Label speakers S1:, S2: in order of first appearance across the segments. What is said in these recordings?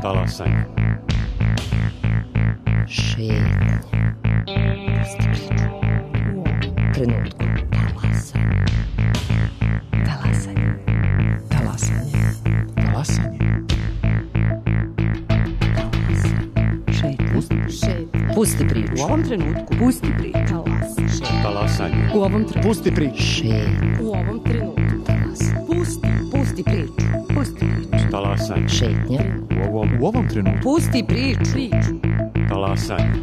S1: Talasanje.
S2: Šetnje. Pusti priču. U ovom trenutku. Talasanje. Talasanje. Talasanje.
S3: Talasanje.
S2: Šetnje. Pusti priču.
S3: U ovom trenutku.
S2: Pusti priču.
S1: Talasanje.
S3: U ovom trenutku. Pusti priču.
S2: Šetnje.
S3: U ovom trenutku.
S2: Pusti priču. Pusti priču.
S1: Talasanje.
S2: Šetnje.
S3: U ovom trenutku.
S2: Pusti priču.
S1: Talasanje.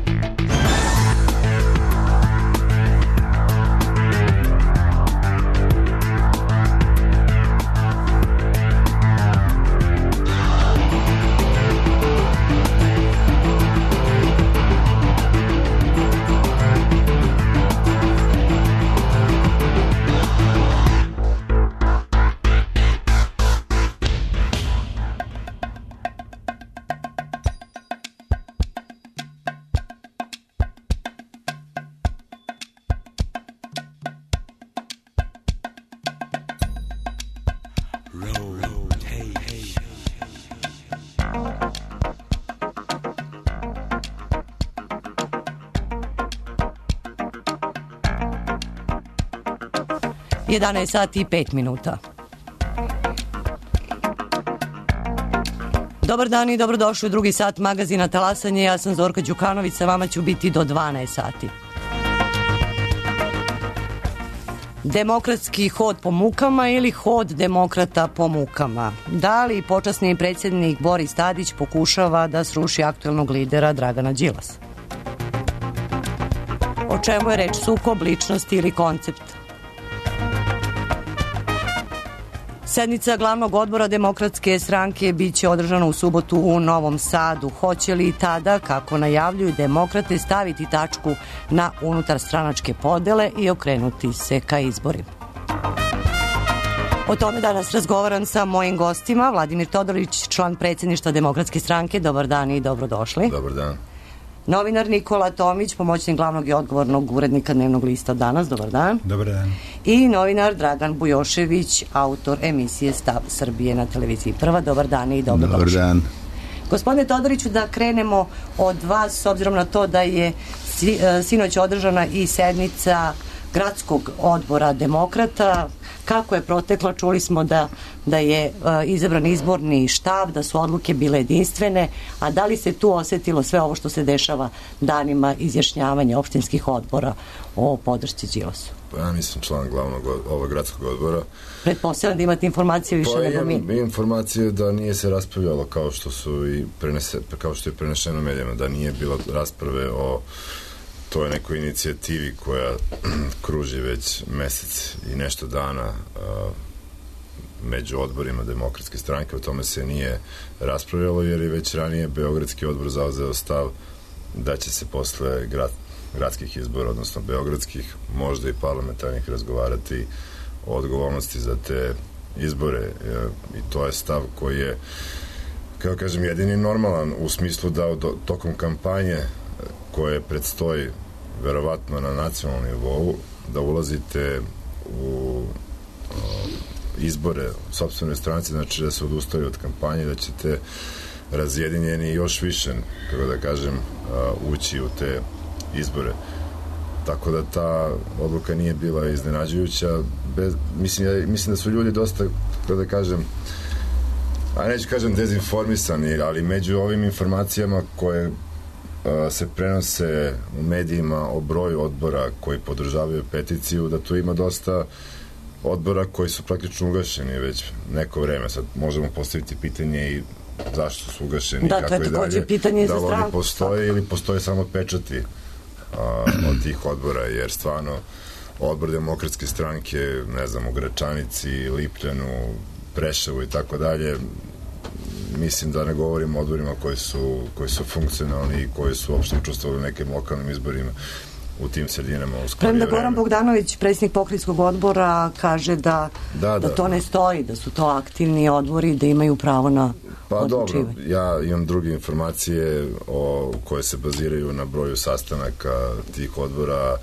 S2: Jedanaest sati i 5 minuta. Dobar dan i dobrodošli u drugi sat magazina Talasanje. Ja sam Zorka Đukanović, sa vama ću biti do 12 sati. Demokratski hod po mukama ili hod demokrata po mukama? Da li počasni predsjednik Boris Tadić pokušava da sruši aktuelnog lidera Dragana Đilasa? O čemu je reč? Sukob, ličnost ili koncept? Sednica glavnog odbora Demokratske stranke biće održana u subotu u Novom Sadu. Hoće li tada, kako najavljuju demokrate, staviti tačku na unutarstranačke podele i okrenuti se ka izborima? O tome danas razgovaram sa mojim gostima. Vladimir Todorić, član predsjedništva Demokratske stranke. Dobar dan i dobrodošli.
S4: Dobar dan.
S2: Novinar Nikola Tomić, pomoćnik glavnog i odgovornog urednika Dnevnog lista Danas. Dobar dan.
S5: Dobar dan.
S2: I novinar Dragan Bujošević, autor emisije Stav Srbije na televiziji Prva. Dobar dan i dobrodošli.
S5: Dobar dan.
S2: Gospodine Todoriću, da krenemo od vas, s obzirom na to da je sinoć održana i sednica gradskog odbora demokrata. Kako je proteklo? Čuli smo da je izabran izborni štab, da su odluke bile jedinstvene, a da li se tu osetilo sve ovo što se dešava danima izjašnjavanja opštinskih odbora o podršci Đilasu?
S4: Pa ja nisam član glavnog ovog gradskog odbora.
S2: Pretpostavljam da imate informacije više nego mi.
S4: Pa informacije da nije se raspravljalo kao što je prenešeno medijama, da nije bilo rasprave o toj nekoj inicijativi koja kruži već mesec i nešto dana među odborima Demokratske stranke. O tome se nije raspravljalo jer je već ranije Beogradski odbor zauzeo stav da će se posle gradskih izbora, odnosno beogradskih, možda i parlamentarnih, razgovarati o odgovornosti za te izbore. I to je stav koji je, kako kažem, jedini normalan u smislu da tokom kampanje koje predstoji verovatno na nacionalnom nivou, da ulazite u izbore u sopstvenoj stranci, znači da se odustaju od kampanje, da ćete razjedinjeni još više, kako da kažem, ući u te izbore. Tako da ta odluka nije bila iznenađujuća. Mislim da su ljudi dosta, kako da kažem, a neću kažem dezinformisani, ali među ovim informacijama koje se prenose u medijima o broju odbora koji podržavaju peticiju, da tu ima dosta odbora koji su praktično ugašeni već neko vreme. Sad možemo postaviti pitanje i zašto su ugašeni,
S2: da,
S4: kako i dalje,
S2: pitanje
S4: da
S2: li
S4: oni postoje ili postoje samo pečati od tih odbora, jer stvarno odbor Demokratske stranke, ne znam, u Gračanici, Lipljanu, Preševu i tako dalje, mislim da ne govorim o odborima koji su funkcionalni i koji su uopšte učestvovali u nekim lokalnim izborima u tim sredinama u skorije vreme.
S2: Goran Bogdanović, predsjednik pokrajinskog odbora, kaže da to ne stoji, da su to aktivni odbori, da imaju pravo na odlučivanje.
S4: Dobro, ja imam druge informacije koje se baziraju na broju sastanaka tih odbora,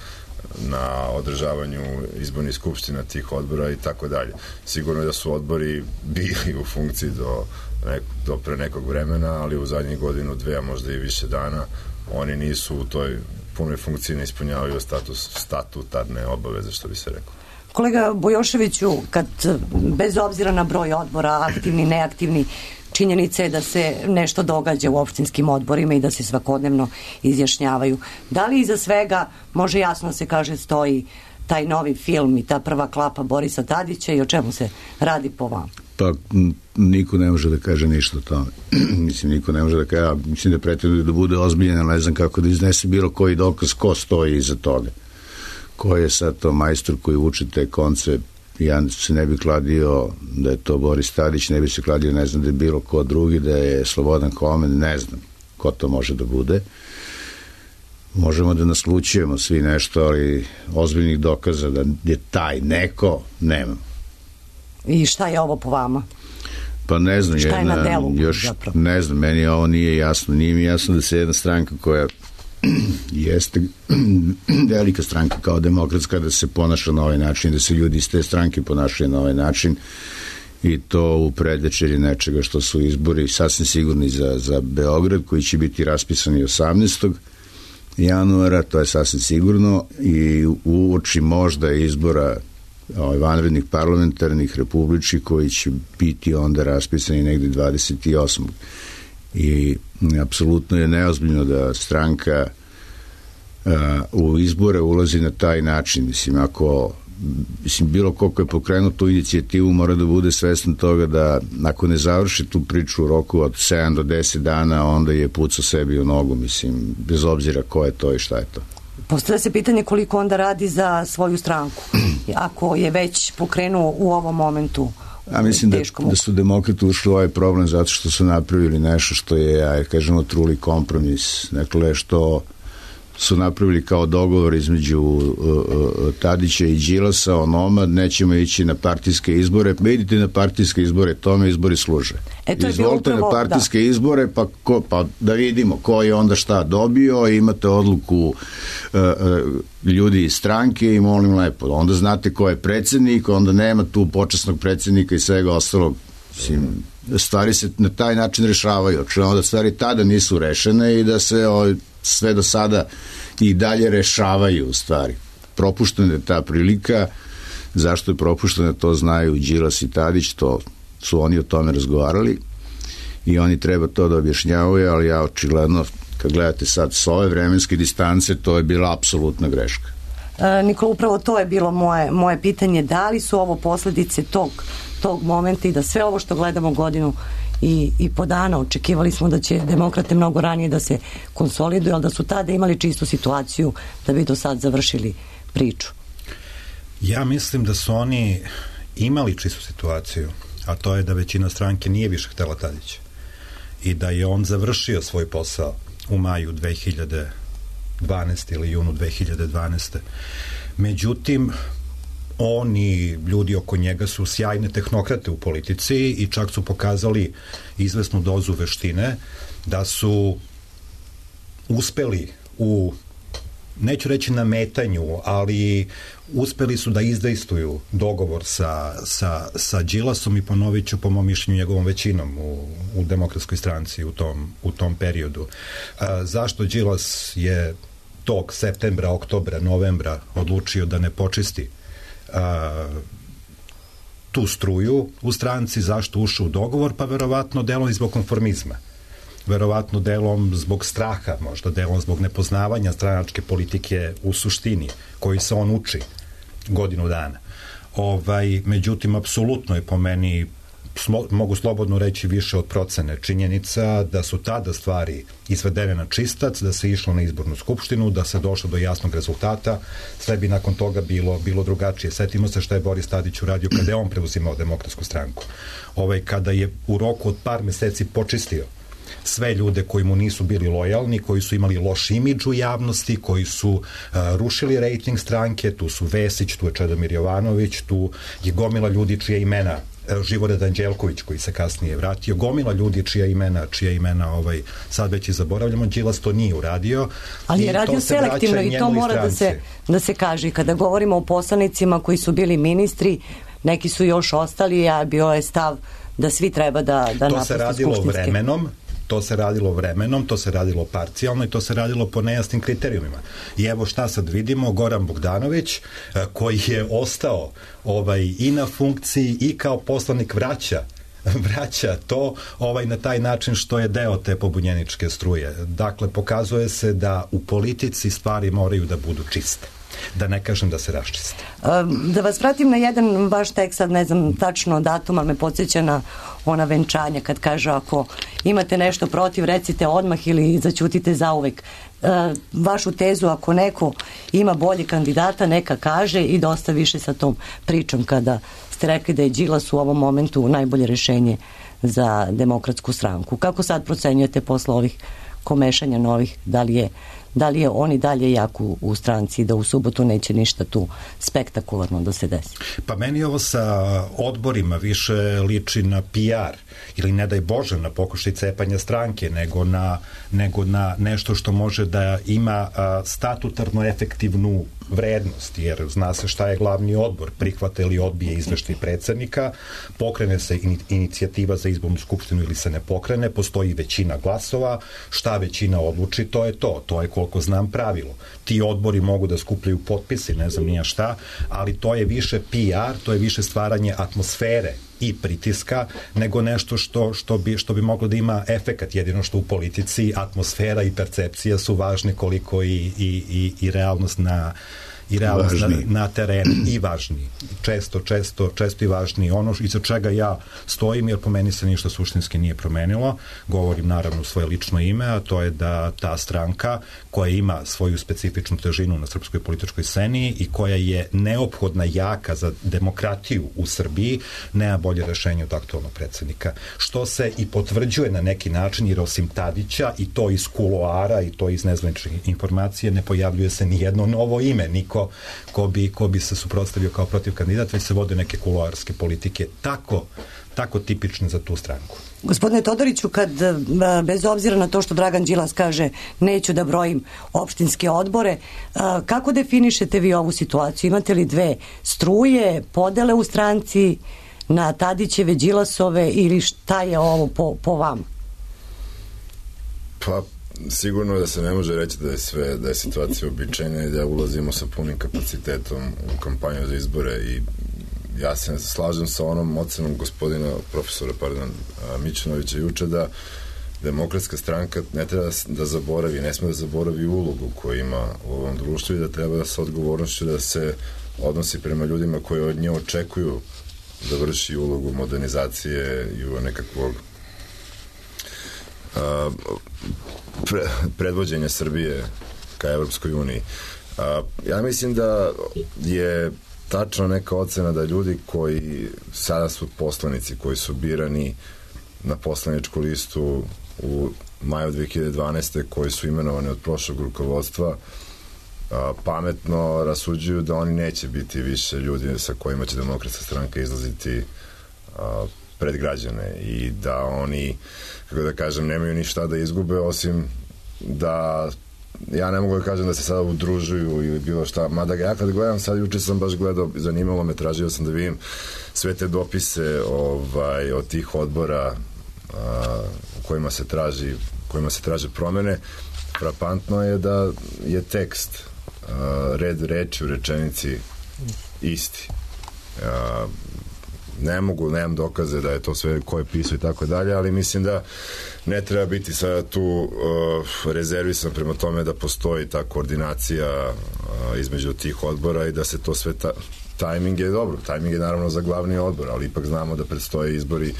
S4: na održavanju izbornih skupština tih odbora i tako dalje. Sigurno je da su odbori bili u funkciji do pre nekog vremena, ali u zadnjih godinu, dve, a možda i više dana, oni nisu u toj punoj funkciji, ne ispunjavaju statutarne obaveze, što bi se rekao.
S2: Kolega Bujoševiću, kad bez obzira na broj odbora, aktivni, neaktivni, činjenica je da se nešto događa u opštinskim odborima i da se svakodnevno izjašnjavaju. Da li iza svega, može jasno se kaže, stoji taj novi film i ta prva klapa Borisa Tadića i o čemu se radi po vama?
S5: Pa niko ne može da kaže ništa o tome. Mislim, niko ne može da kaže, mislim da pretenduje da bude ozbiljen, ali ne znam kako da iznese bilo koji dokaz ko stoji iza toga. Ko je sad to majstor koji uči te konce. Ja se ne bi kladio da je to Boris Tadić, ne bi se kladio, ne znam da je bilo ko drugi, da je Slobodan Homen, ne znam ko to može da bude. Možemo da naslučujemo svi nešto, ali ozbiljnih dokaza da je taj neko, nema.
S2: I šta je ovo po vama?
S5: Pa ne znam,
S2: šta je na delu,
S5: još zapravo? Ne znam, meni ovo nije jasno. Nije mi jasno da se jedna stranka koja jeste velika stranka kao demokratska, da se ponaša na ovaj način, da se ljudi iz te stranke ponašaju na ovaj način, i to u predvečerji nečega što su izbori sasvim sigurni za Beograd, koji će biti raspisani 18. januara, to je sasvim sigurno, i uoči možda izbora vanrednih parlamentarnih, republičkih, koji će biti onda raspisani negde 28. I apsolutno je neozbiljno da stranka u izbore ulazi na taj način. Mislim, bilo koliko je pokrenuo tu inicijativu, mora da bude svestan toga da ako ne završi tu priču u roku od 7 do 10 dana, onda je pucao sebi u nogu, mislim, bez obzira ko je to i šta je to.
S2: Postavlja se pitanje koliko onda radi za svoju stranku, ako je već pokrenuo u ovom momentu.
S5: Ja mislim da su demokrati ušli u ovaj problem zato što su napravili nešto što je, kažemo, truli kompromis. Dakle, što su napravili kao dogovor između Tadića i Đilasa, onoma, nećemo ići na partijske izbore, idite na partijske izbore, tome izbori služe. Izvolite na partijske izbore, pa da vidimo ko je onda šta dobio, imate odluku ljudi iz stranke i molim lepo, onda znate ko je predsednik, onda nema tu počasnog predsednika i svega ostalog. Stvari se na taj način rešavaju, očigledno da stvari tada nisu rešene i da se sve do sada i dalje rešavaju u stvari. Propuštena je ta prilika. Zašto je propuštena, to znaju Đilas i Tadić, to su oni o tome razgovarali i oni treba to da objašnjavaju, ali ja očigledno, kad gledate sad s ove vremenske distance, to je bila apsolutna greška.
S2: Nikola, upravo to je bilo moje pitanje, da li su ovo posledice tog momenta i da sve ovo što gledamo godinu i po dana, očekivali smo da će demokrate mnogo ranije da se konsoliduju, ali da su tada imali čistu situaciju da bi do sad završili priču.
S6: Ja mislim da su oni imali čistu situaciju, a to je da većina stranke nije više htela Tadića i da je on završio svoj posao u maju 2012. ili junu 2012. Međutim, oni, ljudi oko njega su sjajne tehnokrate u politici i čak su pokazali izvesnu dozu veštine da su uspeli u, neću reći nametanju, ali uspeli su da izdejstuju dogovor sa Đilasom i ponovit ću, po mom mišljenju, njegovom većinom u Demokratskoj stranci u tom periodu. Zašto Đilas je tog septembra, oktobra, novembra odlučio da ne počisti tu struju u stranci, zašto ušao u dogovor? Pa verovatno delom i zbog konformizma, verovatno delom zbog straha, možda delom zbog nepoznavanja stranačke politike u suštini, koji se on uči godinu dana. Međutim, apsolutno je po meni, mogu slobodno reći, više od procene činjenica da su tada stvari izvedene na čistac, da se išlo na izbornu skupštinu, da se došlo do jasnog rezultata, sve bi nakon toga bilo drugačije. Setimo se šta je Boris Tadić uradio kada je on preuzimao Demokratsku stranku. Kada je u roku od par meseci počistio sve ljude koji mu nisu bili lojalni, koji su imali loš imidž u javnosti, koji su rušili rejting stranke, tu su Vesić, tu je Čedomir Jovanović, tu je gomila ljudi čije imena Živojin Anđelković koji se kasnije vratio, gomila ljudi čija imena sad već i zaboravljamo. Đilas to nije uradio.
S2: Ali je radio selektivno i to mora da se kaže. Kada govorimo o poslanicima koji su bili ministri, neki su još ostali, a bio je stav da svi treba da napuste skupštinske.
S6: To se radilo vremenom, to se radilo parcijalno i to se radilo po nejasnim kriterijumima. I evo šta sad vidimo, Goran Bogdanović, koji je ostao i na funkciji i kao poslanik vraća to na taj način što je deo te pobunjeničke struje. Dakle, pokazuje se da u politici stvari moraju da budu čiste. Da ne kažem da se raščiste.
S2: Da vas vratim na jedan vaš tekst, sad ne znam tačno datum, ali me podsjeća na ona venčanja kad kaže ako imate nešto protiv, recite odmah ili zaćutite zauvek. Vašu tezu, ako neko ima bolje kandidata, neka kaže i dosta više sa tom pričom kada ste rekli da je Đilas u ovom momentu najbolje rešenje za Demokratsku stranku. Kako sad procenjujete posle ovih komešanja novih, da li je on i dalje jak u stranci, da u subotu neće ništa tu spektakularno da se desi?
S6: Pa meni ovo sa odborima više liči na PR ili ne daj Bože na pokušaj cepanja stranke, nego na nešto što može da ima statutarno efektivnu vrednost, jer zna se šta je glavni odbor, prihvata ili odbije izveštaj predsednika, pokrene se inicijativa za izbornu skupštinu ili se ne pokrene, postoji većina glasova, šta većina odluči, to je to. To je koliko znam pravilo. Ti odbori mogu da skupljaju potpise, ne znam nija šta, ali to je više PR, to je više stvaranje atmosfere i pritiska, nego nešto što bi moglo da ima efekat. Jedino što u politici atmosfera i percepcija su važne koliko i realnost na terenu i važniji. Često i važniji. Ono iza čega ja stojim, jer po meni se ništa suštinski nije promenilo, govorim naravno u svoje lično ime, a to je da ta stranka koja ima svoju specifičnu težinu na srpskoj političkoj sceni i koja je neophodna jaka za demokratiju u Srbiji, nema bolje rešenje od aktualnog predsednika. Što se i potvrđuje na neki način, jer osim Tadića i to iz kuloara i to iz nezvaničnih informacije ne pojavljuje se ni jedno novo ime, niko ko bi se suprotstavio kao protiv kandidat, već se vode neke kuloarske politike tako tipične za tu stranku.
S2: Gospodine Todoriću, kad bez obzira na to što Dragan Đilas kaže neću da brojim opštinske odbore, kako definišete vi ovu situaciju? Imate li dve struje, podele u stranci na Tadićeve, Đilasove ili šta je ovo po vama?
S4: Pa sigurno da se ne može reći da je situacija običajna i da ulazimo sa punim kapacitetom u kampanju za izbore i ja se slažem sa onom ocenom gospodina profesora Mićunovića juče da Demokratska stranka ne treba da zaboravi, ne sme da zaboravi ulogu koju ima u ovom društvu i da treba da sa odgovornošću da se odnosi prema ljudima koji od nje očekuju da vrši ulogu modernizacije i nekakvog predvođenja Srbije ka Evropskoj uniji. Ja mislim da je tačno neka ocena da ljudi koji sada su poslanici, koji su birani na poslaničku listu u maju 2012. koji su imenovani od prošlog rukovodstva, pametno rasuđuju da oni neće biti više ljudi sa kojima će Demokratska stranka izlaziti pred građane i da oni, kako da kažem, nemaju ništa da izgube, osim da ja ne mogu da kažem da se sada udružuju ili bilo šta, mada ja kad gledam sad, juče sam baš gledao, zanimalo me, tražio sam da vidim sve te dopise od tih odbora u kojima se traže promene. Frapantno je da je tekst, red reči u rečenici isti. Nemam dokaze da je to sve ko je pisao i tako dalje, ali mislim da ne treba biti sada tu rezervisan prema tome da postoji ta koordinacija između tih odbora i da se to sve tajming je dobro, tajming je naravno za glavni odbor, ali ipak znamo da predstoje izbori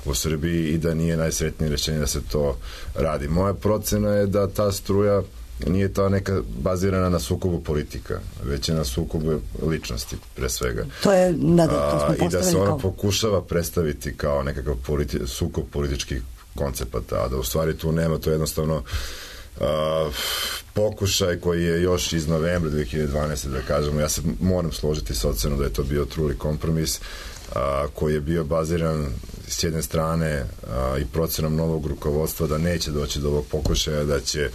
S4: u Srbiji i da nije najsretnije rešenje da se to radi. Moja procena je da ta struja nije to neka bazirana na sukobu politika, već je na sukobu ličnosti, pre svega.
S2: To je, to smo postavili
S4: i da se ona pokušava predstaviti kao nekakav sukob političkih koncepata, a da u stvari tu nema, to jednostavno pokušaj koji je još iz novembra 2012. da kažemo, ja se moram složiti sa ocenom da je to bio truli kompromis, koji je bio baziran s jedne strane i procenom novog rukovodstva da neće doći do ovog pokušaja, da će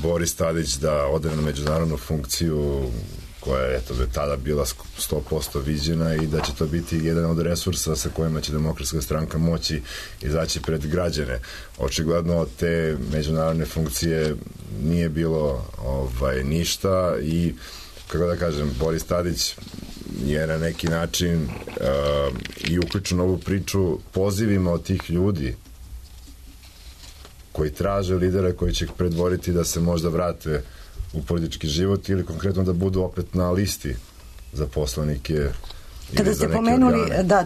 S4: Boris Tadić da ode na međunarodnu funkciju koja je tada bila 100% viđena i da će to biti jedan od resursa sa kojima će Demokratska stranka moći izaći pred građane. Očigledno od te međunarodne funkcije nije bilo ništa i, kako da kažem, Boris Tadić je na neki način i uključen u ovu priču pozivima od tih ljudi koji traže lidera koji će ih predvoriti da se možda vrate u politički život ili konkretno da budu opet na listi za poslanike.
S2: Kada ste pomenuli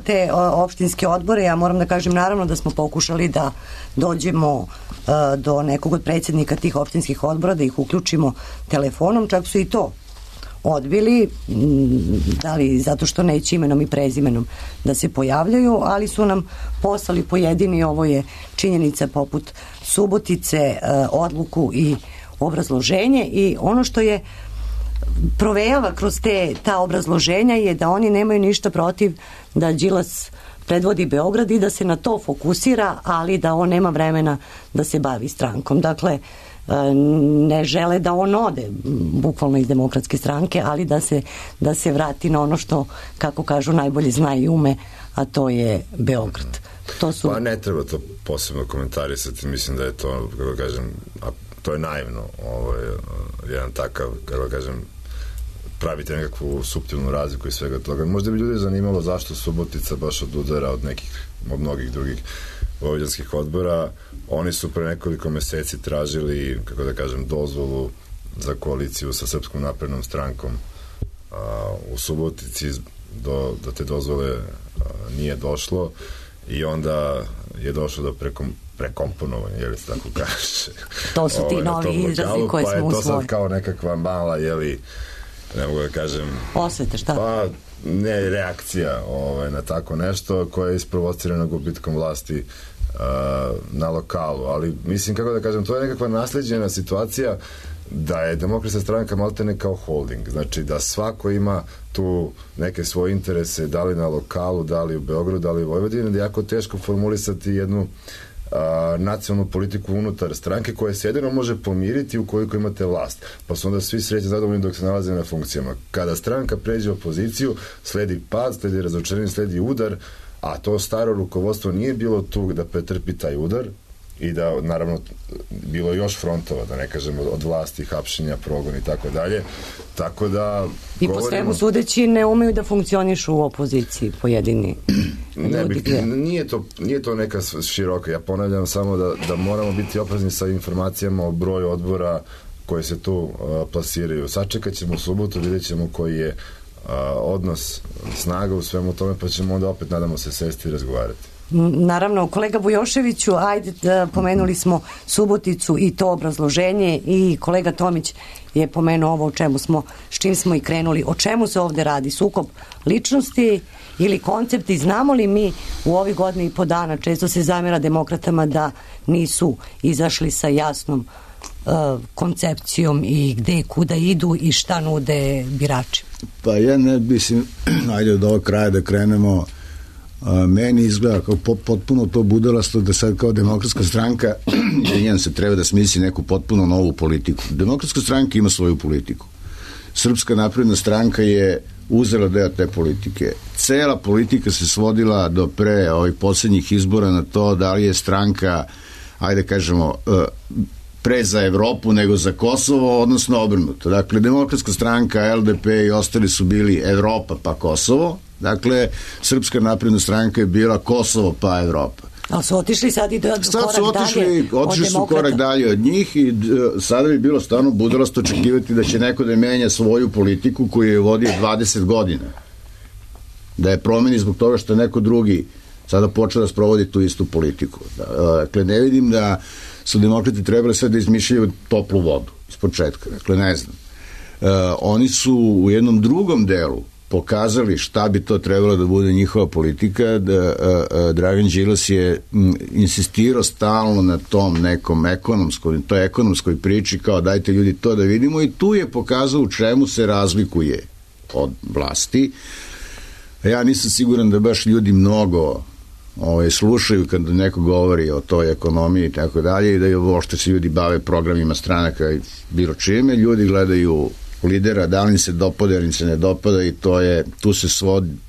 S2: te opštinske odbore, ja moram da kažem naravno da smo pokušali da dođemo do nekog od predsjednika tih opštinskih odbora, da ih uključimo telefonom, čak su i to odbili, da li zato što neće imenom i prezimenom da se pojavljaju, ali su nam poslali pojedini, ovo je činjenica poput Subotice, odluku i obrazloženje, i ono što je provejava kroz ta obrazloženja je da oni nemaju ništa protiv da Đilas predvodi Beograd i da se na to fokusira, ali da on nema vremena da se bavi strankom. Dakle, ne žele da on ode bukvalno iz Demokratske stranke, ali da se vrati na ono što, kako kažu, najbolje zna i ume, a to je Beograd.
S4: Pa ne treba to posebno komentarisati, mislim da je to, kako kažem, to je naivno, jedan takav, kako kažem, pravite nekakvu suptilnu razliku i svega toga. Možda bi ljudi zanimalo zašto Subotica baš odudara od mnogih drugih vojvođanskih odbora. Oni su pre nekoliko meseci tražili, kako da kažem, dozvolu za koaliciju sa Srpskom naprednom strankom u Subotici. Do te dozvole nije došlo i onda je došlo do prekomponovanja, je li se tako kaže?
S2: To su ti novi izrazi koje smo usvojili. Pa je to sad kao nekakva mala,
S4: ne mogu da kažem...
S2: Osvete, šta?
S4: Pa, ne, reakcija na tako nešto koja je isprovocirana gubitkom vlasti na lokalu, ali mislim, kako da kažem, to je nekakva nasleđena situacija da je Demokratska stranka maltene kao holding, znači da svako ima tu neke svoje interese, da li na lokalu, da li u Beogradu, da li u Vojvodini, da je jako teško formulisati jednu nacionalnu politiku unutar stranke koja se jedino može pomiriti ukoliko imate vlast. Pa su onda svi srećni zadovoljni dok se nalaze na funkcijama. Kada stranka pređe u opoziciju, sledi pad, sledi razočarenje, sledi udar, a to staro rukovodstvo nije bilo tu da pretrpi taj udar i da, naravno, bilo još frontova, da ne kažem, od vlasti, hapšenja, progon i tako dalje. Tako da...
S2: I po svemu sudeći ne umeju da funkcionišu u opoziciji pojedini ljudi.
S4: Nije to neka široka. Ja ponavljam samo da moramo biti oprezni sa informacijama o broju odbora koje se tu plasiraju. Sačekat ćemo u subotu, vidjet ćemo koji je odnos snaga u svemu tome, pa ćemo onda opet, nadamo se, sesti i razgovarati.
S2: Naravno, kolega Bujoševiću, pomenuli smo Suboticu i to obrazloženje, i kolega Tomić je pomenuo ovo s čim smo i krenuli. O čemu se ovde radi? Sukob ličnosti ili koncepti? Znamo li mi u ovih godina i po dana, često se zamera demokratama da nisu izašli sa jasnom koncepcijom i gde, kuda idu i šta nude birači?
S5: Pa ja ne mislim, ajde od ovog kraja da krenemo. Meni izgleda kao potpuno to budalasto da sad kao Demokratska stranka se treba da smisli neku potpuno novu politiku. Demokratska stranka ima svoju politiku. Srpska napredna stranka je uzela deo te politike. Cela politika se svodila do pre ovih poslednjih izbora na to da li je stranka, ajde kažemo, pre za Evropu nego za Kosovo, odnosno obrnuto. Dakle, Demokratska stranka, LDP i ostali su bili Evropa pa Kosovo. Dakle, Srpska napredna stranka je bila Kosovo pa Evropa.
S2: Ali su otišli sad i
S5: otišli su korak dalje od njih i sada bi bilo stvarno budalasto očekivati da će neko da menja svoju politiku koju je vodio 20 godina. Da je promeni zbog toga što neko drugi sada počeo da sprovodi tu istu politiku. Dakle, ne vidim da su demokrati trebali sve da izmišljaju toplu vodu iz početka. Dakle, ne znam. Oni su u jednom drugom delu pokazali šta bi to trebalo da bude njihova politika, Dragan Đilas je insistirao stalno na tom nekom ekonomskoj priči, kao dajte ljudi to da vidimo, i tu je pokazao u čemu se razlikuje od vlasti. Ja nisam siguran da baš ljudi mnogo slušaju kad neko govori o toj ekonomiji i tako dalje, i da je uopšte se ljudi bave programima stranaka i bilo čime. Ljudi gledaju lidera, da li im se dopada ili im se ne dopada, i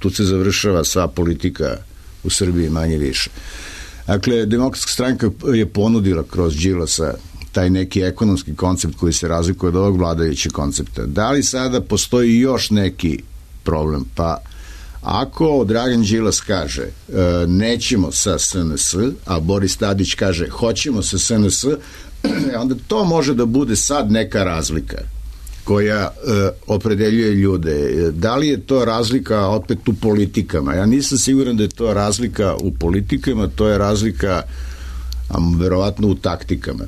S5: tu se završava sva politika u Srbiji manje više. Dakle, Demokratska stranka je ponudila kroz Đilasa taj neki ekonomski koncept koji se razlikuje od ovog vladajućeg koncepta. Da li sada postoji još neki problem? Pa ako Dragan Đilas kaže nećemo sa SNS, a Boris Tadić kaže hoćemo sa SNS, onda to može da bude sad neka razlika koja opredeljuje ljude. Da li je to razlika opet u politikama? Ja nisam siguran da je to razlika u politikama, to je razlika verovatno u taktikama.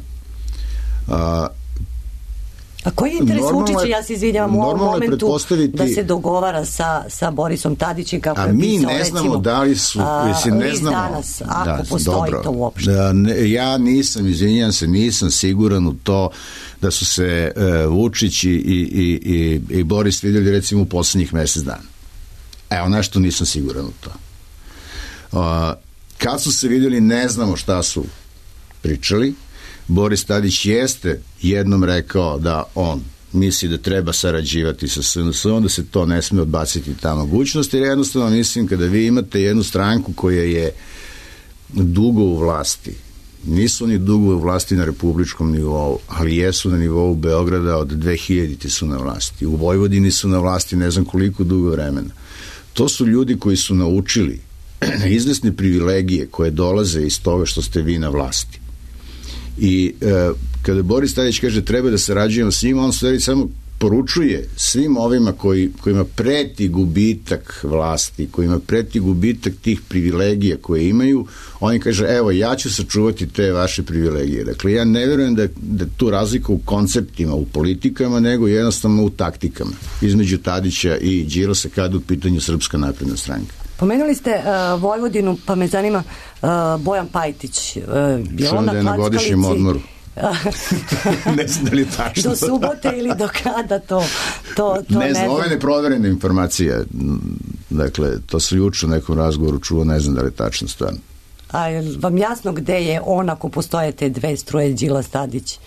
S2: A koji je interes Vučića, ja se izvinjavam, u ovom momentu da se dogovara sa Borisom Tadićem, kako je pisao,
S5: ne znamo da li su,
S2: ne znamo danas, ako postoji to uopšte.
S5: Ja nisam siguran u to da su se Vučić i Boris vidjeli recimo u poslednjih mesec dana. Evo, nešto nisam siguran u to. Kad su se vidjeli, ne znamo šta su pričali. Boris Tadić jeste jednom rekao da on misli da treba sarađivati sa SNS-om, da se to ne sme odbaciti ta mogućnost, jer jednostavno mislim kada vi imate jednu stranku koja je dugo u vlasti, nisu oni dugo u vlasti na republičkom nivou, ali jesu na nivou Beograda, od 2000 su na vlasti, u Vojvodini su na vlasti ne znam koliko dugo vremena. To su ljudi koji su naučili izvesne privilegije koje dolaze iz toga što ste vi na vlasti. I kada Boris Tadić kaže treba da sarađujemo s njima, on stvari samo poručuje svim ovima kojima preti gubitak vlasti, kojima preti gubitak tih privilegija koje imaju, on kaže evo ja ću sačuvati te vaše privilegije. Dakle, ja ne verujem da tu razlika u konceptima, u politikama, nego jednostavno u taktikama između Tadića i Đilasa kada u pitanju Srpska napredna stranka.
S2: Pomenuli ste Vojvodinu, pa me zanima Bojan Pajtić.
S5: Što da je na godišnjem odmoru? Ne znam da li je tačno.
S2: Do subote ili do kada to
S5: ne znam. Ovo je neproverena informacija. Dakle, to se juče u nekom razgovoru čuo, ne znam da li je tačno stvarno.
S2: A je vam jasno gde je on ako postoje te dve struje, Đilas, Tadić?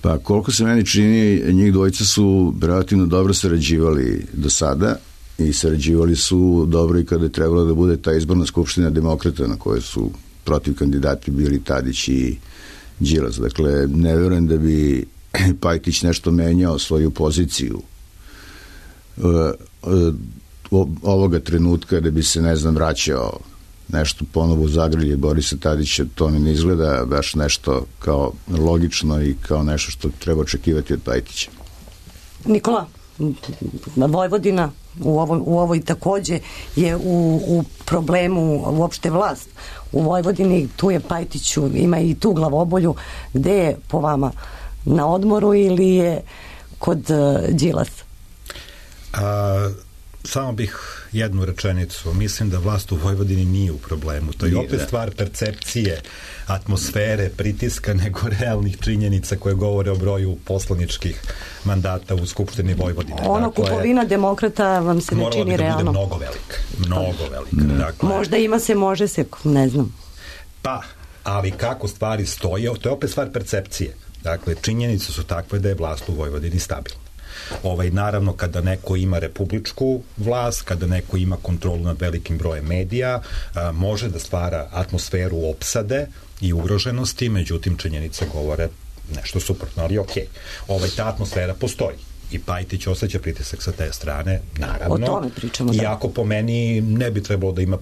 S5: Pa koliko se meni čini, njih dvojica su relativno dobro sarađivali do sada, i sarađivali su dobro i kada je trebalo da bude ta izborna skupština Demokrata na kojoj su protiv kandidati bili Tadić i Đilas. Dakle, ne verujem da bi Pajtić nešto menjao svoju poziciju ovoga trenutka, da bi se, ne znam, vraćao nešto ponovo u zagrlje Borisa Tadića. To mi ne izgleda baš nešto kao logično i kao nešto što treba očekivati od Pajtića.
S2: Nikola, Vojvodina u ovoj takođe je u problemu uopšte vlast. U Vojvodini tu je Pajtiću, ima i tu glavobolju. Gde je po vama? Na odmoru ili je kod Đilasa?
S6: Samo bih jednu rečenicu. Mislim da vlast u Vojvodini nije u problemu. To je opet stvar percepcije, atmosfere, pritiska, nego realnih činjenica koje govore o broju poslaničkih mandata u Skupštini Vojvodine.
S2: Ono kupovina Demokrata vam se ne čini realno.
S6: Morala bi da bude mnogo velika. Dakle,
S2: možda ima se, može se, ne znam.
S6: Pa, ali kako stvari stoje, to je opet stvar percepcije. Dakle, činjenice su takve da je vlast u Vojvodini stabilna. Naravno, kada neko ima republičku vlast, kada neko ima kontrolu nad velikim brojem medija, može da stvara atmosferu opsade i ugroženosti, međutim činjenice govore nešto suprotno, ali okej. Ta atmosfera postoji i Pajtić osjeća pritisak sa te strane, naravno.
S2: O tome pričamo, da.
S6: Iako po meni ne bi trebalo da ima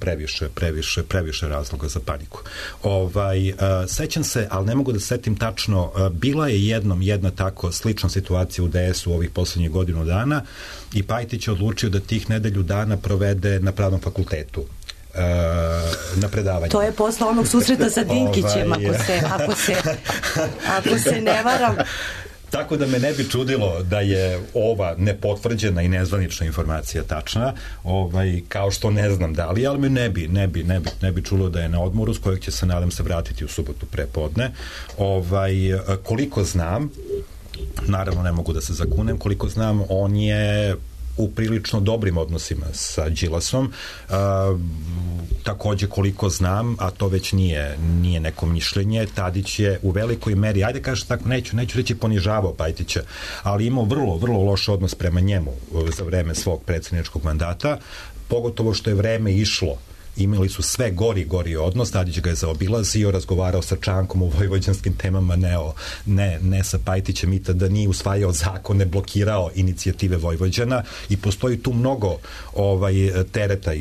S6: previše razloga za paniku. Sećam se, ali ne mogu da setim tačno, bila je jednom jedna tako slična situacija u DS-u ovih poslednjih godinu dana i Pajtić je odlučio da tih nedelju dana provede na Pravnom fakultetu na predavanju.
S2: To je posle onog susreta sa Dinkićem, ako se ne varam.
S6: Tako da me ne bi čudilo da je ova nepotvrđena i nezvanična informacija tačna, kao što ne znam da li, ali me ne bi čulo da je na odmoru, s kojeg će se, nadam se, vratiti u subotu prepodne. Koliko znam, naravno ne mogu da se zakunem, koliko znam, on je u prilično dobrim odnosima sa Đilasom. Takođe, koliko znam, a to već nije neko mišljenje, Tadić je u velikoj meri, ajde kažem tako, neću reći ponižavao Pajtića, ali imao vrlo, vrlo loš odnos prema njemu za vreme svog predsjedničkog mandata, pogotovo što je vreme išlo. Imali su sve gori odnos, Tadić ga je zaobilazio, razgovarao sa Čankom o vojvođanskim temama, ne sa Pajtićem, i tada nije usvajao zakone, blokirao inicijative Vojvođana i postoji tu mnogo tereta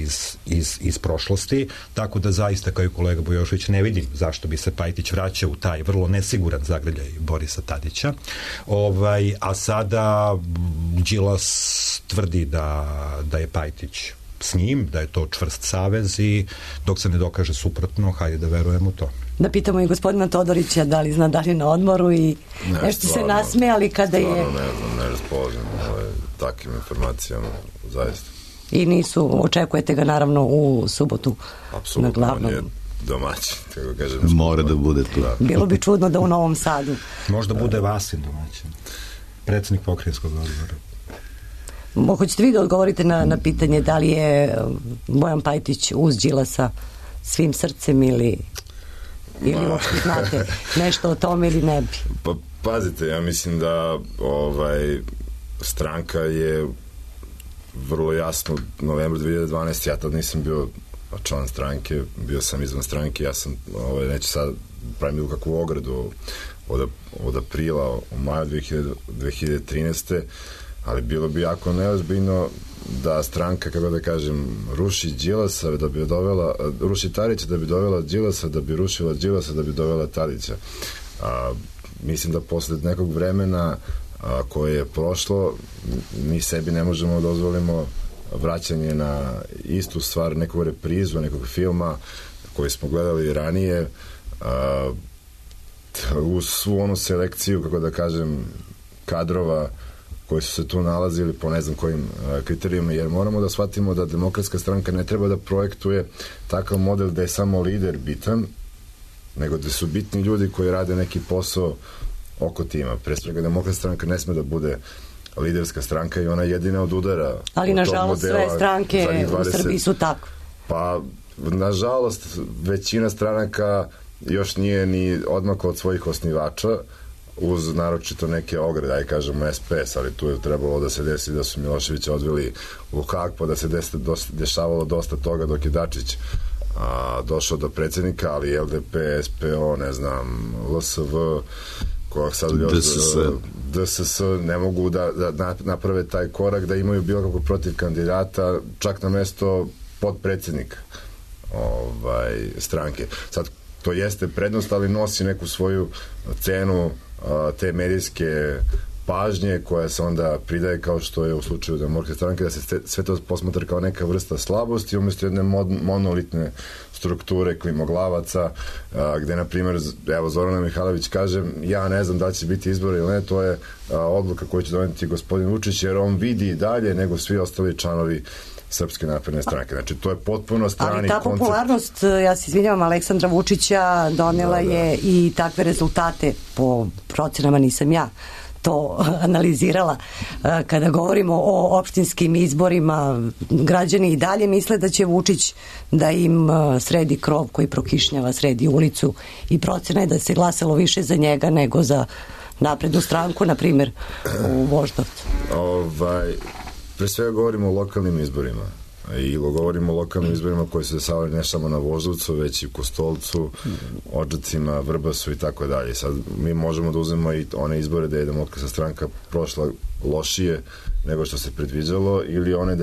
S6: iz prošlosti, tako da zaista, kao i kolega Bujošević, ne vidim zašto bi se Pajtić vraćao u taj vrlo nesiguran zagrljaj Borisa Tadića. A sada Đilas tvrdi da je Pajtić s njim, da je to čvrst savez, i dok se ne dokaže suprotno, hajde da verujemo u to.
S2: Da pitamo i gospodina Todorića da li zna da li je na odmoru, i nešto se nasmejali kada je...
S4: Stvarno ne raspoložim takvim informacijama, zaista.
S2: I očekujete ga naravno u subotu na glavnom.
S4: Apsolutno, on je domaćin, tako kažem.
S5: Mora da bude tu.
S2: Bilo bi čudno da u Novom Sadu.
S6: Možda bude Vasin domaćin, predsjednik pokrajinskog odbora.
S2: Hoćete vi da odgovorite na pitanje da li je Bojan Pajtić uz Đilasa svim srcem ili uopšte znate nešto o tome ili ne bi?
S4: Pa pazite, ja mislim da stranka je vrlo jasno novembru 2012. Ja tad nisam bio član stranke, bio sam izvan stranke, ja sam, neću sad pravim bilo kakvu ogradu od aprila u maju 2013. Ali bilo bi jako neozbiljno da stranka, kako da kažem, ruši Đilasa da bi dovela, ruši Tadića da bi dovela Đilasa, da bi rušila Đilasa da bi dovela Tadića. Mislim da posle nekog vremena koje je prošlo, mi sebi ne možemo da dozvolimo vraćanje na istu stvar, neku reprizu nekog filma koji smo gledali ranije, uz svu onu selekciju, kako da kažem, kadrova koji su se tu nalazili po ne znam kojim kriterijima, jer moramo da shvatimo da Demokratska stranka ne treba da projektuje takav model da je samo lider bitan, nego da su bitni ljudi koji rade neki posao oko tima. Pre svega, Demokratska stranka ne sme da bude liderska stranka i ona jedina od udara.
S2: Ali nažalost sve stranke u Srbiji su tako.
S4: Pa nažalost većina stranaka još nije ni odmakla od svojih osnivača, uz naročito neke ograde, aj kažemo SPS, ali tu je trebalo da se desi da su Miloševića odveli u Hag, pa da se dešavalo dosta toga dok je Dačić došao do predsjednika, ali LDP, SPO, ne znam, LSV, kojeg sad DSS ne mogu da naprave taj korak, da imaju bilo kako protiv kandidata, čak na mesto podpredsjednika stranke. Sad, to jeste prednost, ali nosi neku svoju cenu te medijske pažnje koja se onda pridaje, kao što je u slučaju Demokratske stranke, da se sve to posmatra kao neka vrsta slabosti umjesto jedne monolitne strukture klimoglavaca, gde, na primjer, evo, Zorana Mihajlović kaže, ja ne znam da li će biti izbori ili ne, to je odluka koju će doneti gospodin Vučić, jer on vidi i dalje nego svi ostali članovi Srpske napredne stranke. Znači, to je potpuno strani koncept. Ali ta popularnost,
S2: ja se izvinjavam, Aleksandra Vučića donela je i takve rezultate, po procenama, nisam ja to analizirala. Kada govorimo o opštinskim izborima, građani i dalje misle da će Vučić da im sredi krov koji prokišnjava, sredi ulicu, i procena je da se glasalo više za njega nego za naprednu stranku, na primjer, u Voždovcu.
S4: Pre svega govorimo o lokalnim izborima i govorimo o lokalnim izborima koji se dešavaju ne samo na Voždovcu, već i u Kostolcu, Odžacima, Vrbasu i tako dalje. Sad mi možemo da uzmemo i one izbore da je Demokratska stranka prošla lošije nego što se predviđalo, ili one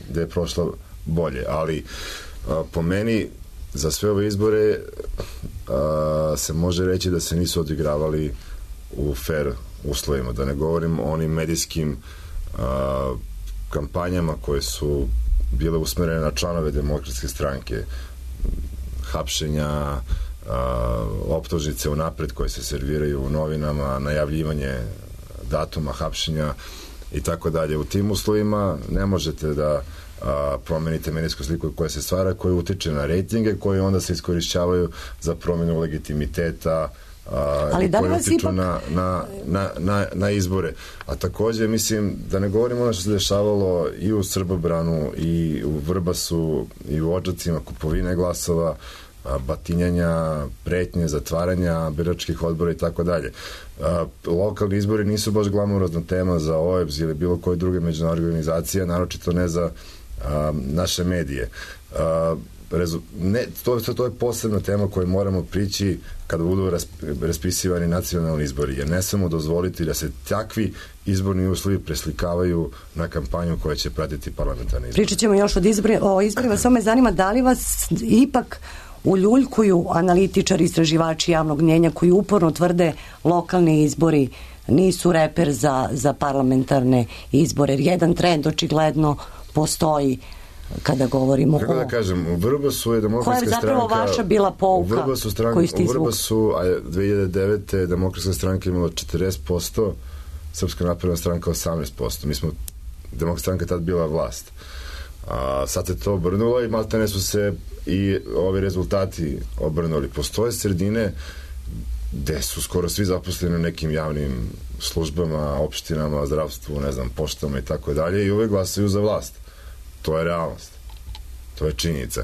S4: da je prošla bolje, ali po meni za sve ove izbore se može reći da se nisu odigravali u fair uslovima, da ne govorim o onim medijskim kampanjama koje su bile usmerene na članove Demokratske stranke, hapšenja, optužnice unapred koje se serviraju u novinama, najavljivanje datuma hapšenja i tako dalje. U tim uslovima ne možete da promenite medijsku sliku koja se stvara, koja utiče na rejtinge, koji onda se iskorišćavaju za promenu legitimiteta, ali koji utiču na izbore. A takođe, mislim, da ne govorimo ono što se dešavalo i u Srbobranu, i u Vrbasu, i u Odžacima, kupovine glasova, batinjanja, pretnje, zatvaranja biračkih odbora i tako dalje. Lokalni izbori nisu baš glamurozna tema za OEBS ili bilo koje druge međunarodne organizacije, naročito ne za naše medije. To je posebna tema koju moramo prići kada budu raspisivani nacionalni izbori, jer ne samo dozvoliti da se takvi izborni uslovi preslikavaju na kampanju koja će pratiti parlamentarne izbore.
S2: Pričat ćemo još o izborima, samo me zanima da li vas ipak uljuljkuju analitičari, istraživači javnog mnjenja koji uporno tvrde lokalni izbori nisu reper za parlamentarne izbore, jer jedan trend očigledno postoji kada govorimo
S4: kako da kažem, u Vrbasu je Demokratska stranka... Koja je
S2: zapravo vaša bila pouka koju ste izvukli?
S4: U Vrbasu 2009. Demokratska stranka imala 40%, Srpska napredna stranka 18%. Demokratska stranka tad bila vlast. Sad se to obrnulo i maltene su se i ovi rezultati obrnuli. Postoje sredine gde su skoro svi zaposleni u nekim javnim službama, opštinama, zdravstvu, ne znam, poštama i tako dalje i uvek glasaju za vlast. To je realnost. To je činjenica.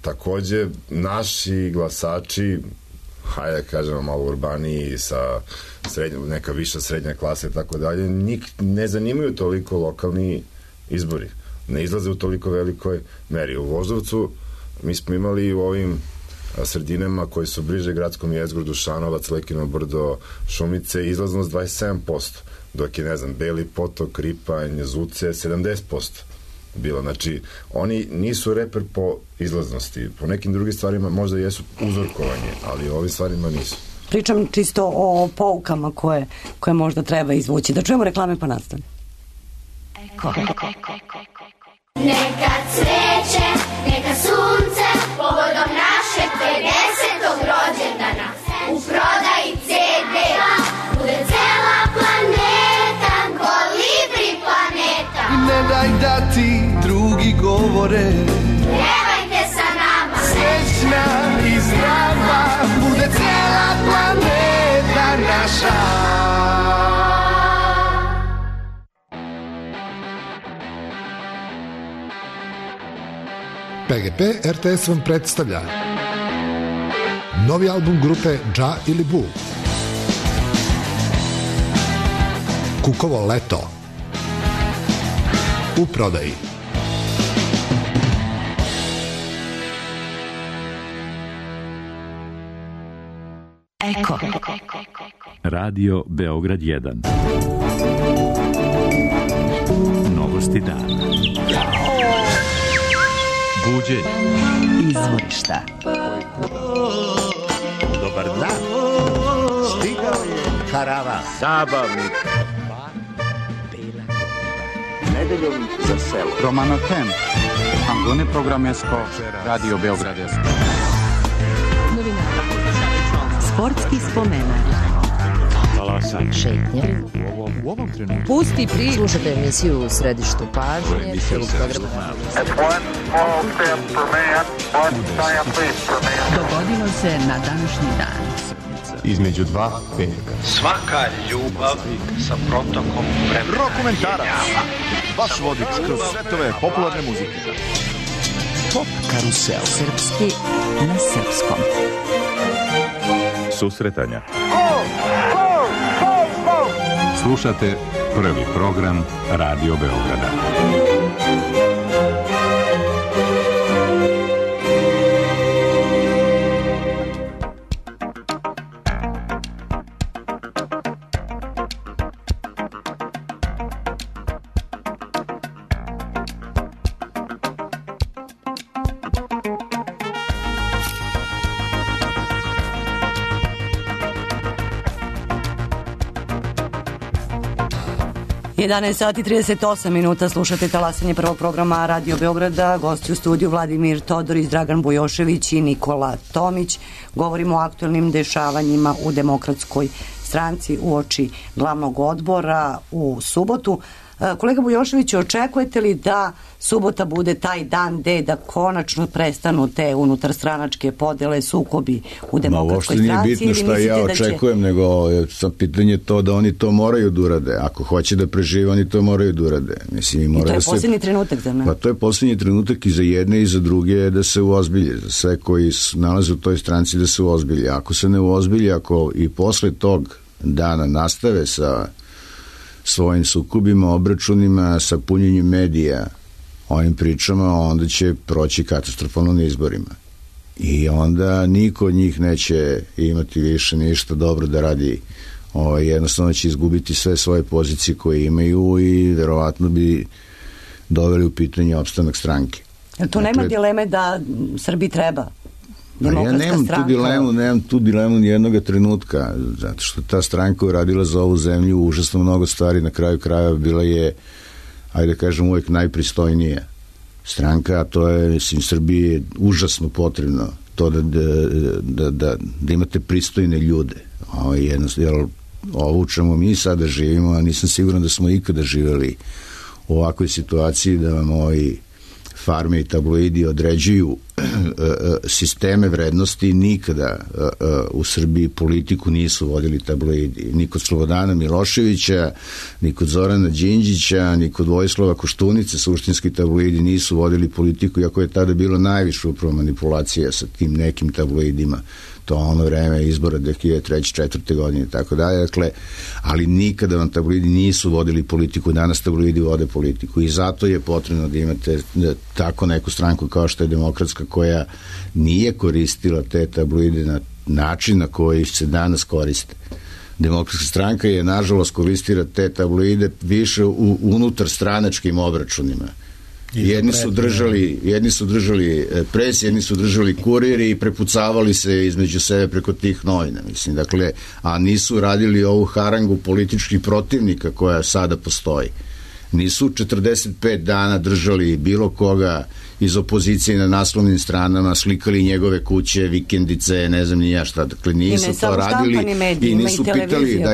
S4: Takođe, naši glasači, hajde da kažemo malo urbaniji, sa neka viša srednja klasa i tako dalje, ne zanimaju toliko lokalni izbori. Ne izlaze u toliko velikoj meri. U Voždovcu mi smo imali u ovim sredinama koji su bliže gradskom jezgru, Dušanovac, Lekino Brdo, Šumice, izlaznost 27%, dok je, ne znam, Beli Potok, Ripanj, Zuce, 70% bilo. Znači, oni nisu reper po izlaznosti. Po nekim drugim stvarima možda jesu uzorkovanje, ali ovim stvarima nisu.
S2: Pričam čisto o poukama koje možda treba izvući. Da čujemo reklame pa nastavimo.
S7: Neka cveće, neka sunce, povodom našeg 50. rođendana. U prodaji CD-a bude cela planeta, Kolibri planeta.
S8: Ne daj da ti drugi govore,
S7: pevajte sa nama.
S8: Srećna i zdrava bude cela planeta naša.
S9: PGP RTS vam predstavlja novi album grupe Dža ili Bu, Kukovo leto, u prodaji.
S10: Eko.
S1: Radio Beograd 1. Novosti dana. Buđenje.
S10: Izvorišta.
S11: Dobar dan. Stigao je karavan.
S12: Zabavnik.
S11: Nedeljom za selo.
S13: Romano Tem. Angone programesko. Radio Beograd 1.
S10: Sportski spomenak.
S3: Šetnje. U ovom trenutku.
S10: Pusti priču.
S3: Slušajte emisiju u središtu pažnje.
S10: Dogodilo se na današnji dan.
S14: Između dva petka.
S15: Svaka ljubav sa protokom vremena.
S14: Rokomentarac. Vaš vodič kroz svetove popularne muzike.
S10: Pop karusel. Srpski na srpskom.
S1: Susretanja.
S14: Slušate prvi program Radio Beograda.
S2: Sati 38 minuta, slušate talasanje prvog programa Radio Beograda, gosti u studiju Vladimir Todorić, Dragan Bujošević i Nikola Tomić. Govorimo o aktualnim dešavanjima u Demokratskoj stranci uoči glavnog odbora u subotu. Kolega Bujoševiću, očekujete li da subota bude taj dan da konačno prestanu te unutarstranačke podele, sukobi u Demokratskoj stranci?
S5: Uopšte nije bitno šta ja očekujem, nego sam pitanje to da oni to moraju da urade. Ako hoće da prežive, oni to moraju da urade. Mislim,
S2: i to je posljednji trenutak za ne?
S5: Pa to je posljednji trenutak i za jedne i za druge da se uozbilje. Za sve koji nalaze u toj stranci da se uozbilje. Ako se ne uozbilje, ako i posle tog dana nastave sa svojim sukobima, obračunima, sa punjenjem medija, ovim pričama, onda će proći katastrofalno na izborima. I onda niko od njih neće imati više ništa dobro da radi. Jednostavno će izgubiti sve svoje pozicije koje imaju i verovatno bi doveli u pitanje opstanak stranke.
S2: Tu nema dileme da Srbiji treba Demokratska stranka?
S5: Nemam tu dilemu ni jednog trenutka, zato što ta stranka uradila za ovu zemlju užasno mnogo stvari, na kraju krajeva bila je, ajde kažem, uvek najpristojnija stranka, a to je, mislim, Srbiji je užasno potrebno to da imate pristojne ljude. Ovo u čemu mi sada živimo, a nisam siguran da smo ikada živeli u ovakvoj situaciji da vam ovi farme i tabloidi određuju sisteme vrednosti. Nikada u Srbiji politiku nisu vodili tabloidi. Ni kod Slobodana Miloševića, ni kod Zorana Đinđića, ni kod Vojislava Koštunice suštinski tabloidi nisu vodili politiku, iako je tada bilo najviše upravo manipulacija sa tim nekim tabloidima. To ono vreme izbora 2003. 2004. godine i tako dalje. Dakle, ali nikada vam tabloidi nisu vodili politiku. Danas tabloidi vode politiku i zato je potrebno da imate tako neku stranku kao što je Demokratska, koja nije koristila te tabloide na način na koji se danas koriste. Demokratska stranka je nažalost koristila te tabloide više u unutar stranačkim obračunima. Jedni su držali pres, jedni su držali kuriri i prepucavali se između sebe preko tih novina, mislim, dakle, a nisu radili ovu harangu političkih protivnika koja sada postoji. Nisu 45 dana držali bilo koga iz opozicije na naslovnim stranama, slikali njegove kuće, vikendice, ne znam ni ja šta, dakle, nisu to radili i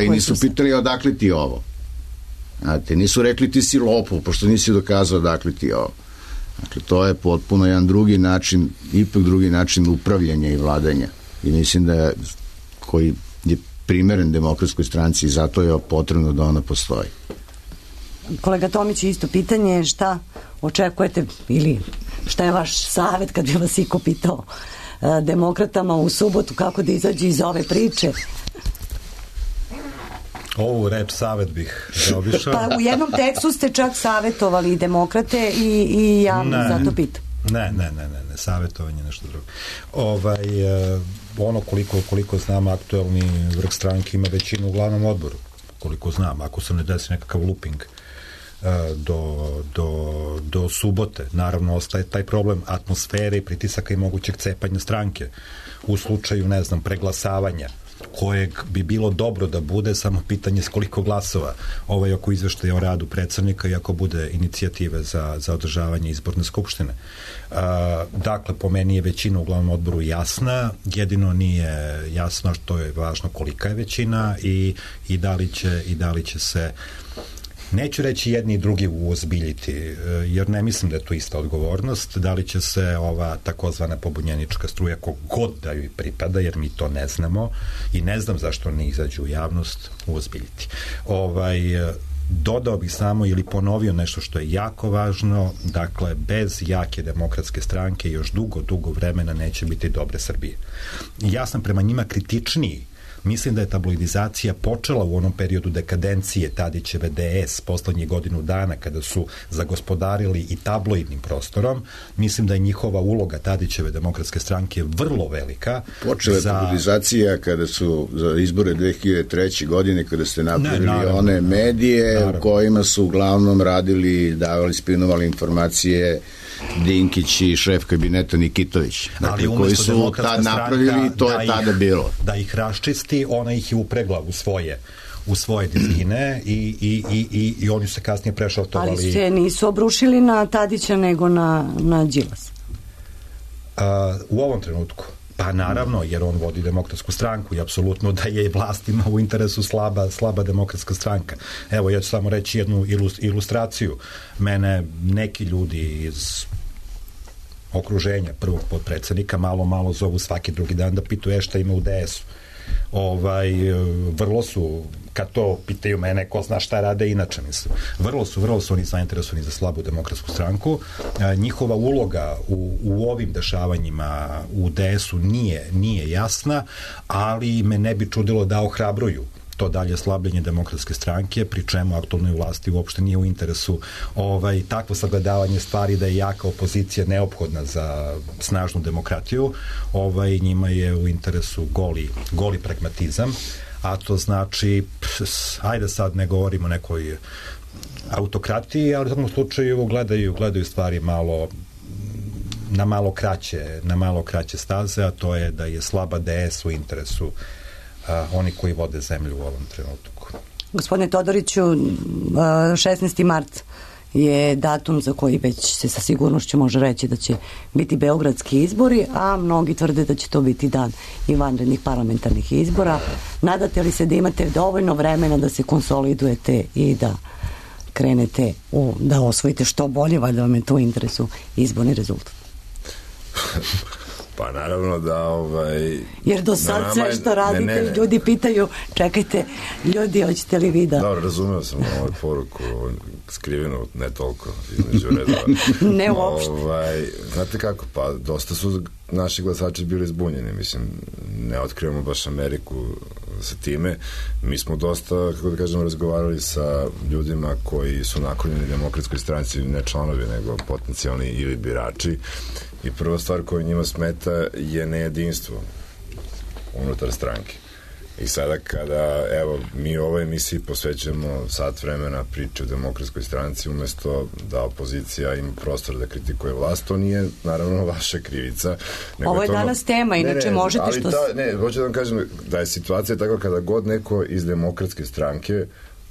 S5: nisu pitali odakle ti ovo. Znate, nisu rekli ti si lopov, pošto nisi dokazao odakle ti ovo. Dakle, to je potpuno jedan drugi način, ipak drugi način upravljanja i vladanja. I mislim da koji je primeren Demokratskoj stranci i zato je potrebno da ona postoji.
S2: Kolega Tomić, isto pitanje, šta očekujete ili šta je vaš savjet kad bi vas iko pitao demokratama u subotu kako da izađu iz ove priče?
S6: Ovu reč savjet bih zaobišao.
S2: Pa u jednom tekstu ste čak savjetovali demokrate i ja zato pitam.
S6: Ne, savjetovanje je nešto drugo. Ono koliko znam, aktuelni vrh stranke ima većinu u glavnom odboru, koliko znam, ako se ne desi nekakav looping do subote. Naravno, ostaje taj problem atmosfere i pritisaka i mogućeg cepanja stranke u slučaju, ne znam, preglasavanja, kojeg bi bilo dobro da bude, samo pitanje s koliko glasova oko izveštaja o radu predsednika i ako bude inicijative za održavanje izborne skupštine. Dakle, po meni je većina u glavnom odboru jasna, jedino nije jasno što je važno kolika je većina i da li će se, neću reći jedni i drugi uozbiljiti, jer ne mislim da je to ista odgovornost, da li će se ova takozvana pobunjenička struja, kogod da joj pripada, jer mi to ne znamo i ne znam zašto ne izađu u javnost, uozbiljiti. Dodao bih samo ili ponovio nešto što je jako važno, dakle, bez jake Demokratske stranke još dugo vremena neće biti dobre Srbije. Ja sam prema njima kritičniji. Mislim da je tabloidizacija počela u onom periodu dekadencije Tadićeve DS poslednjih godinu dana kada su zagospodarili i tabloidnim prostorom. Mislim da je njihova uloga Tadićeve Demokratske stranke vrlo velika.
S5: Počela je tabloidizacija kada su za izbore 2003. godine, kada ste napravili one medije u kojima su uglavnom radili, davali, spinovali informacije Dinkić i šef kabineta Nikitović. Dakle, koji su tad napravili, to je tada bilo.
S6: Da ih raščisti, ona ih je upregla u svoje dizgine i oni su se kasnije prešaltovali.
S2: Ali se nisu obrušili na Tadića nego na Đilas.
S6: U ovom trenutku Pa naravno, jer on vodi Demokratsku stranku i apsolutno da je vlastima u interesu slaba Demokratska stranka. Evo, ja ću samo reći jednu ilustraciju. Mene neki ljudi iz okruženja prvog potpredsednika malo zovu svaki drugi dan da pitaju šta ima u DS-u. Vrlo su, kad to pitaju mene, ko zna šta rade inače, mislim. Vrlo su oni zainteresovani za slabu Demokratsku stranku. Njihova uloga u ovim dešavanjima u DS-u nije jasna, ali me ne bi čudilo da ohrabruju to dalje slabljenje Demokratske stranke, pri čemu aktualnoj vlasti uopšte nije u interesu takvo sagledavanje stvari da je jaka opozicija neophodna za snažnu demokratiju. Njima je u interesu goli pragmatizam, a to znači, ajde sad ne govorimo o nekoj autokratiji, ali u tom slučaju gledaju stvari na malo kraće staze, a to je da je slaba DS u interesu oni koji vode zemlju u ovom trenutku.
S2: Gospodine Todoriću, 16. mart je datum za koji već se sa sigurnošću može reći da će biti beogradski izbori, a mnogi tvrde da će to biti dan i vanrednih parlamentarnih izbora. Nadate li se da imate dovoljno vremena da se konsolidujete i da krenete da osvojite što bolje, valjda vam je to u interesu izborni rezultat?
S4: Pa naravno da
S2: jer do sad sve što radite ljudi pitaju, čekajte ljudi, hoćete li vi da...
S4: Dobro, razumeo sam ovu poruku skrivenu, ne toliko između redova.
S2: Ne uopšte.
S4: Znate kako, pa dosta su naši glasači bili zbunjeni, mislim, ne otkrivamo baš Ameriku sa time. Mi smo dosta, kako da kažem, razgovarali sa ljudima koji su naklonjeni Demokratskoj stranci, ne članovi, nego potencijalni ili birači. I prva stvar koja njima smeta je nejedinstvo unutar stranke. I sada kada, evo, mi u ovoj emisiji posvećujemo sat vremena priče o Demokratskoj stranci umesto da opozicija ima prostor da kritikuje vlast, to nije naravno vaša krivica.
S2: Ovo je danas tema, inače možete što...
S4: Ne, hoću da vam kažem da je situacija tako kada god neko iz Demokratske stranke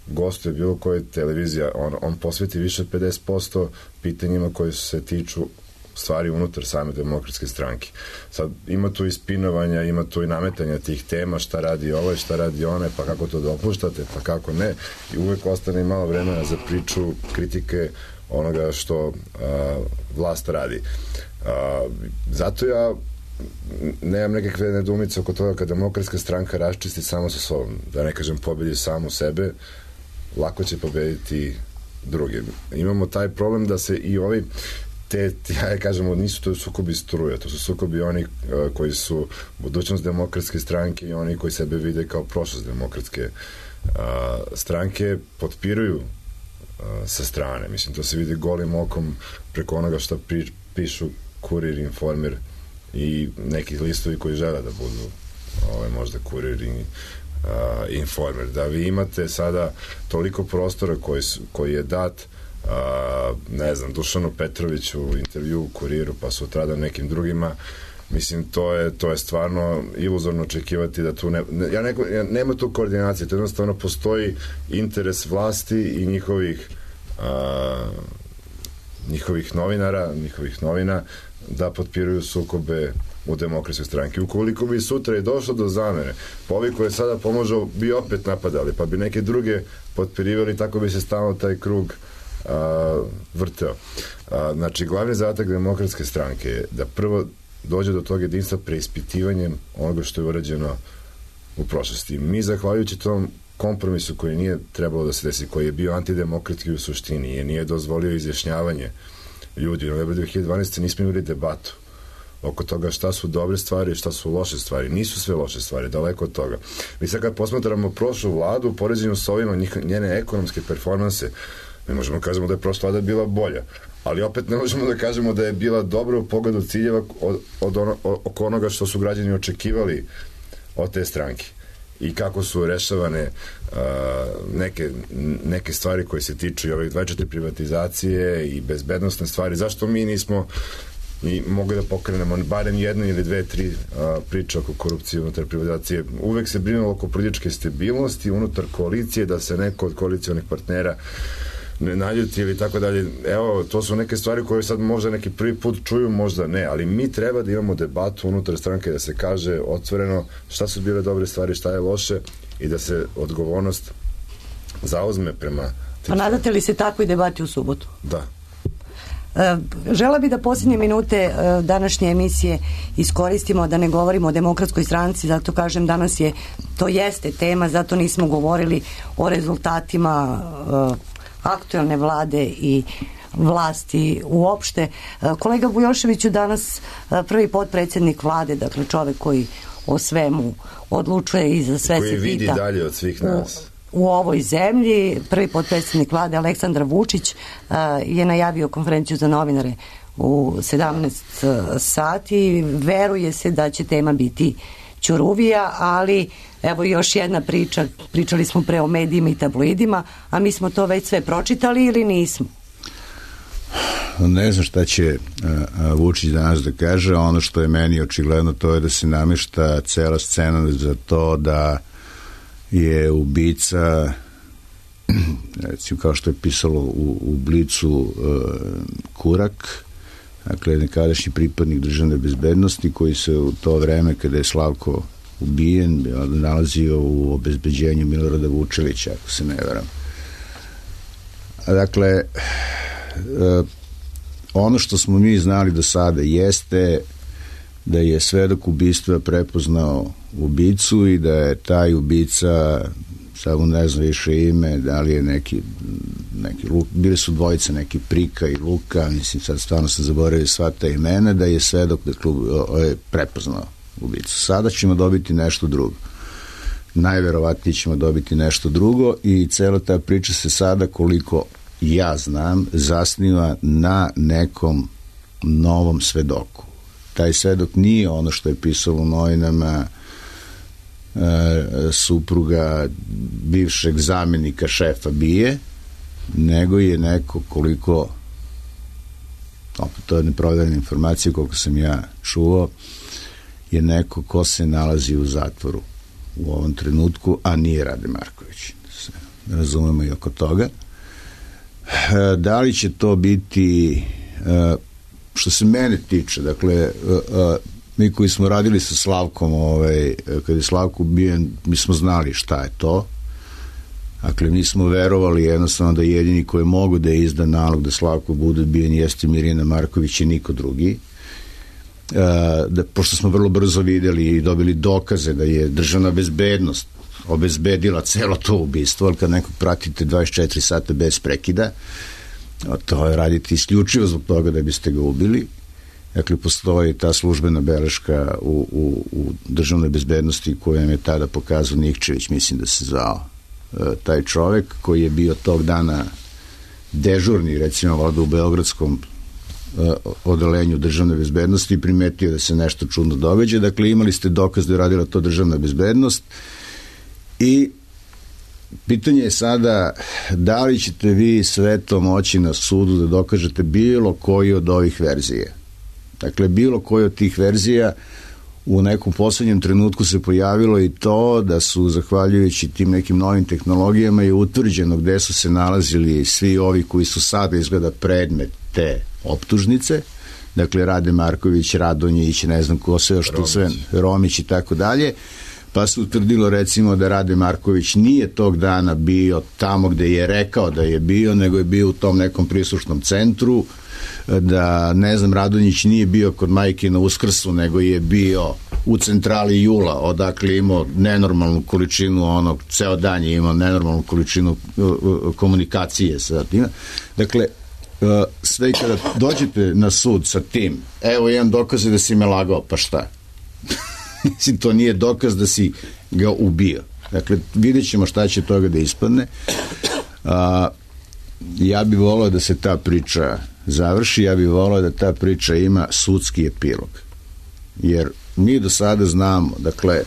S4: gostuje bilo koje televizija, on posveti više od 50% pitanjima koje se tiču stvari unutar same Demokratske stranke. Sad ima tu i spinovanja, ima tu i nametanja tih tema, šta radi ovaj, šta radi one, pa kako to dopuštate, pa kako ne, i uvek ostane malo vremena za priču, kritike onoga što vlast radi. Zato ja nemam nekakve nedoumice oko toga kad Demokratska stranka raščisti samo sa sobom, da ne kažem pobedi samu sebe, lako će pobediti druge. Imamo taj problem da se i ovi ja kažemo, nisu to sukobi struja, to su sukobi oni koji su budućnost Demokratske stranke i oni koji sebe vide kao prošlost Demokratske stranke, potpiruju sa strane. Mislim, to se vidi golim okom preko onoga što pišu Kurir, Informer i neki listovi koji žele da budu možda Kurir i Informer. Da vi imate sada toliko prostora koji je dat ne znam, Dušanu Petroviću u intervju u Kuriru, pa sutradan nekim drugima, mislim, to je stvarno iluzorno očekivati da tu nema tu koordinacije, to jednostavno postoji interes vlasti i njihovih novinara, njihovih novina da potpiruju sukobe u Demokratskoj stranki. Ukoliko bi sutra je došlo do zamene, pa ovi koje sada pomožu bi opet napadali, pa bi neke druge potpirivali, tako bi se stalno taj krug vrteo. Znači, glavni zadatak Demokratske stranke je da prvo dođe do tog jedinstva preispitivanjem onoga što je urađeno u prošlosti. Mi, zahvaljujući tom kompromisu koji nije trebalo da se desi, koji je bio antidemokratski u suštini, je nije dozvolio izjašnjavanje ljudi. U novembru 2012. nismo imali debatu oko toga šta su dobre stvari i šta su loše stvari. Nisu sve loše stvari, daleko od toga. Mi sad kad posmatramo prošlu vladu u poređenju s ovima, njene ekonomske performanse, ne možemo da kažemo da je prošla vlada bila bolja, ali opet ne možemo da kažemo da je bila dobra u pogledu ciljeva oko onoga što su građani očekivali od te stranke i kako su rešavane neke stvari koje se tiču i ovih 24 privatizacije i bezbednostne stvari. Zašto mi nismo i mogli da pokrenemo barem jednu ili dve, tri priče oko korupcije unutar privatizacije? Uvek se brinulo oko političke stabilnosti unutar koalicije, da se neko od koalicijonih partnera ne naljuti ili tako dalje. Evo, to su neke stvari koje sad možda neki prvi put čuju, možda ne, ali mi treba da imamo debatu unutar stranke, da se kaže otvoreno šta su bile dobre stvari, šta je loše i da se odgovornost zauzme prema tim.
S2: Pa nadate li se takvoj debati u subotu?
S4: Da.
S2: Žela bi da posljednje minute današnje emisije iskoristimo da ne govorimo o Demokratskoj stranci, zato kažem danas to jeste tema, zato nismo govorili o rezultatima aktuelne vlade i vlasti uopšte. Kolega Bujoševiću, danas prvi potpredsjednik vlade, dakle čovek koji o svemu odlučuje i za sve se pita.
S4: Koji vidi dalje od svih nas.
S2: U ovoj zemlji, prvi potpredsjednik vlade Aleksandar Vučić je najavio konferenciju za novinare u 17 sati. Veruje se da će tema biti Ćuruvija, ali evo još jedna priča. Pričali smo pre o medijima i tabloidima, a mi smo to već sve pročitali ili nismo?
S5: Ne znam šta će Vučić danas da kaže. Ono što je meni očigledno to je da se namješta cela scena za to da je ubica, recimo kao što je pisalo u Blicu, Kurak, dakle nekadašnji pripadnik državne bezbednosti koji se u to vreme kada je Slavko ubijen nalazio u obezbeđenju Milorada Vučelića, ako se ne varam. Dakle, ono što smo mi znali do sada jeste da je svedok ubistva prepoznao ubicu i da je taj ubica, samo ne znam više ime, da li je neki bili su dvojica, neki Prika i Luka, mislim sad stvarno sam zaboravio sva ta imena, da je svedok je prepoznao ubicu. Sada ćemo dobiti nešto drugo. Najverovatnije ćemo dobiti nešto drugo i cela ta priča se sada, koliko ja znam, zasniva na nekom novom svedoku. Taj svedok nije ono što je pisalo u novinama, supruga bivšeg zamenika šefa BIA, nego je neko, koliko, to je neproverena informacija, koliko sam ja čuo, je neko ko se nalazi u zatvoru u ovom trenutku, a nije Rade Marković. Razumemo i oko toga. Da li će to biti, što se mene tiče, dakle, mi koji smo radili sa Slavkom, kada je Slavko ubijen, mi smo znali šta je to. Dakle, mi smo verovali jednostavno da jedini koji mogu da je izda nalog da Slavko bude ubijen jeste Mirjana Marković i niko drugi. Pošto smo vrlo brzo videli i dobili dokaze da je državna bezbednost obezbedila celo to ubistvo, ali kad nekog pratite 24 sata bez prekida, to je raditi isključivo zbog toga da biste ga ubili. Dakle, postoji ta službena beleška u državnoj bezbednosti koju je tada pokazao Nikčević, mislim da se zvao taj čovek, koji je bio tog dana dežurni, recimo, vlada u beogradskom odelenju državne bezbednosti i primetio da se nešto čudno događa. Dakle, imali ste dokaz da je radila to državna bezbednost i pitanje je sada da li ćete vi sve to moći na sudu da dokažete bilo koji od ovih verzija. Dakle, bilo koji od tih verzija. U nekom poslednjem trenutku se pojavilo i to da su, zahvaljujući tim nekim novim tehnologijama, je utvrđeno gde su se nalazili svi ovi koji su sada izgleda predmet te optužnice, dakle Rade Marković, Radonjić, ne znam ko sve, što sve, Romić i tako dalje, pa se utvrdilo recimo da Rade Marković nije tog dana bio tamo gde je rekao da je bio, nego je bio u tom nekom prislušnom centru, da, ne znam, Radonjić nije bio kod majke na Uskrsu, nego je bio u centrali Jula, odakle imao nenormalnu količinu ceo dan je imao nenormalnu količinu komunikacije sa tim. Dakle, sve kada dođete na sud sa tim, evo imam dokaze da si me lagao, pa šta? Mislim, to nije dokaz da si ga ubio. Dakle, vidjet ćemo šta će toga da ispadne. Ja bih volao da se ta priča završi, ja bih volao da ta priča ima sudski epilog. Jer mi do sada znamo, dakle,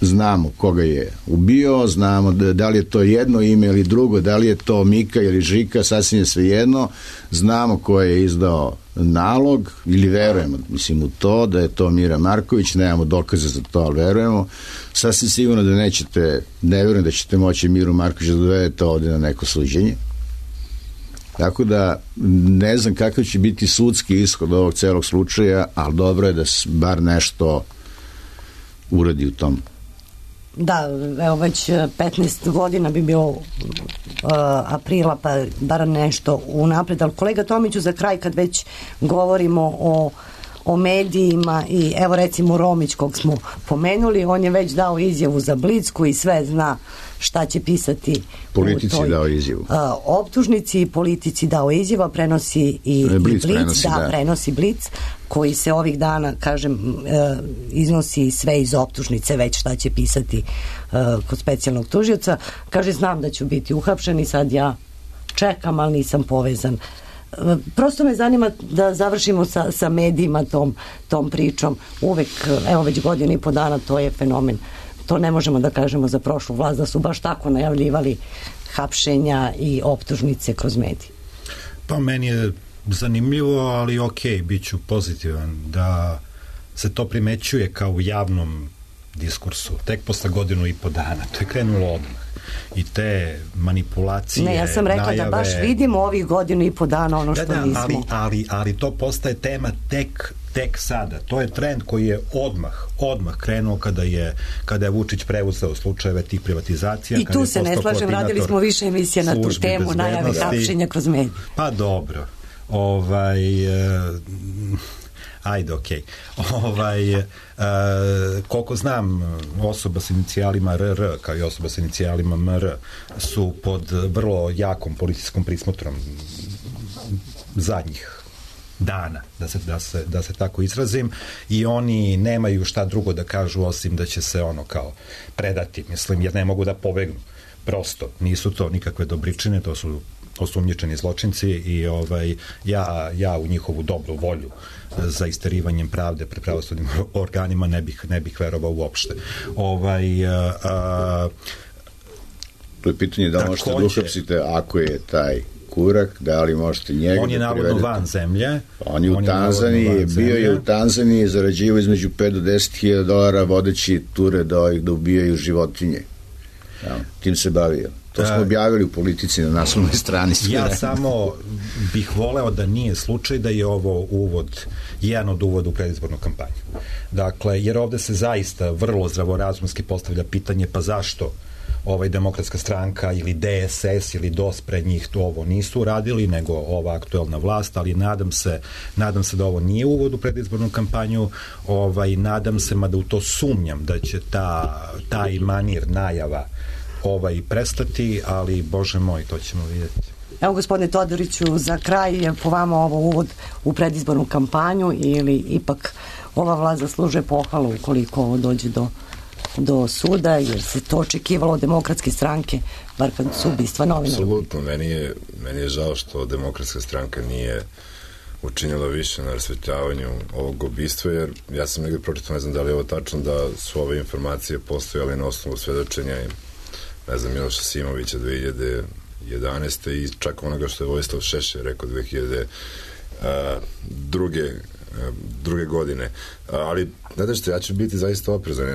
S5: znamo koga je ubio, znamo da li je to jedno ime ili drugo, da li je to Mika ili Žika, sasvim je svejedno, znamo ko je izdao nalog ili verujemo, mislim, u to da je to Mira Marković, nemamo dokaze za to, ali verujemo. Sasvim sigurno da ne verujem da ćete moći Miru Marković da dovedete ovde na neko suđenje. Tako da ne znam kakav će biti sudski ishod ovog celog slučaja, ali dobro je da se bar nešto uradi u tom.
S2: Da, evo već 15 godina bi bilo aprila, pa bar nešto unapred. Ali kolega Tomiću, za kraj, kad već govorimo o medijima i evo recimo Romić kog smo pomenuli, on je već dao izjavu za Blic koji sve zna šta će pisati
S5: politici. Dao izjavu
S2: optužnici i politici dao izjava, prenosi i Blic prenosi Blic, koji se ovih dana, kažem, iznosi sve iz optužnice već šta će pisati kod specijalnog tužioca. Kaže, znam da ću biti uhapšen i sad ja čekam, ali nisam povezan. Prosto me zanima da završimo sa medijima tom pričom. Uvek, evo već godinu i po dana, to je fenomen. To ne možemo da kažemo za prošlu vlast, da su baš tako najavljivali hapšenja i optužnice kroz medije.
S6: Pa meni je zanimljivo, ali bit ću pozitivan da se to primećuje kao u javnom diskursu. Tek posle godinu i po dana. To je krenulo odmah. I te manipulacije,
S2: ne, ja sam rekla najave, da baš vidimo ovih godinu i po dana ono što nismo.
S6: Ali to postaje tema tek sada. To je trend koji je odmah krenuo kada je Vučić preuzeo slučajeve tih privatizacija.
S2: I tu se ne slažem, radili smo više emisija na tu temu, najave hapšenja kroz medije.
S6: Pa dobro. Ajde, koliko znam, osoba s inicijalima RR kao i osoba s inicijalima MR su pod vrlo jakom policijskom prismotrom zadnjih dana, da se tako izrazim, i oni nemaju šta drugo da kažu osim da će se kao predati, mislim, jer ne mogu da pobegnu. Prosto, nisu to nikakve dobričine, to su osumnjičeni zločinci i ja u njihovu dobru volju za isterivanjem pravde pred pravosudnim organima ne bih verovao uopšte.
S5: To je pitanje da možete da uhapsite ako je taj Kurak, da li možete njega
S6: on je navodno van zemlje.
S5: On je u Tanzaniji, bio je u Tanzaniji, zarađivao između 5 do 10.000 dolara vodeći ture da ubijaju životinje. Tim se bavio. To smo objavili u Politici na naslovnoj strani.
S6: Ja samo bih voleo da nije slučaj da je ovo jedan od uvoda u predizbornu kampanju. Dakle, jer ovde se zaista vrlo zdravorazumski postavlja pitanje, pa zašto Demokratska stranka ili DSS ili DOS pred njih to ovo nisu uradili, nego ova aktuelna vlast, ali nadam se da ovo nije uvod u predizbornu kampanju, nadam se, mada u to sumnjam, da će taj manir najava prestati, ali Bože moj, to ćemo vidjeti.
S2: Evo, gospodine Todoriću, za kraj je po vama ovo uvod u predizbornu kampanju ili ipak ova vlast zaslužuje pohvalu ukoliko ovo dođe do suda, jer se to očekivalo od Demokratske stranke, bar kad su ubistva novinara?
S4: Apsolutno, meni je žao što Demokratska stranka nije učinila više na rasvetljavanju ovog ubistva, jer ja sam negdje pročitao, ne znam da li je ovo tačno, da su ove informacije postojale na osnovu svedočenja i ne znam, Miloša Simovića 2011. i čak onoga što je Vojislav Šešelj rekao 2002. godine. Ali, znate što, ja ću biti zaista oprezan.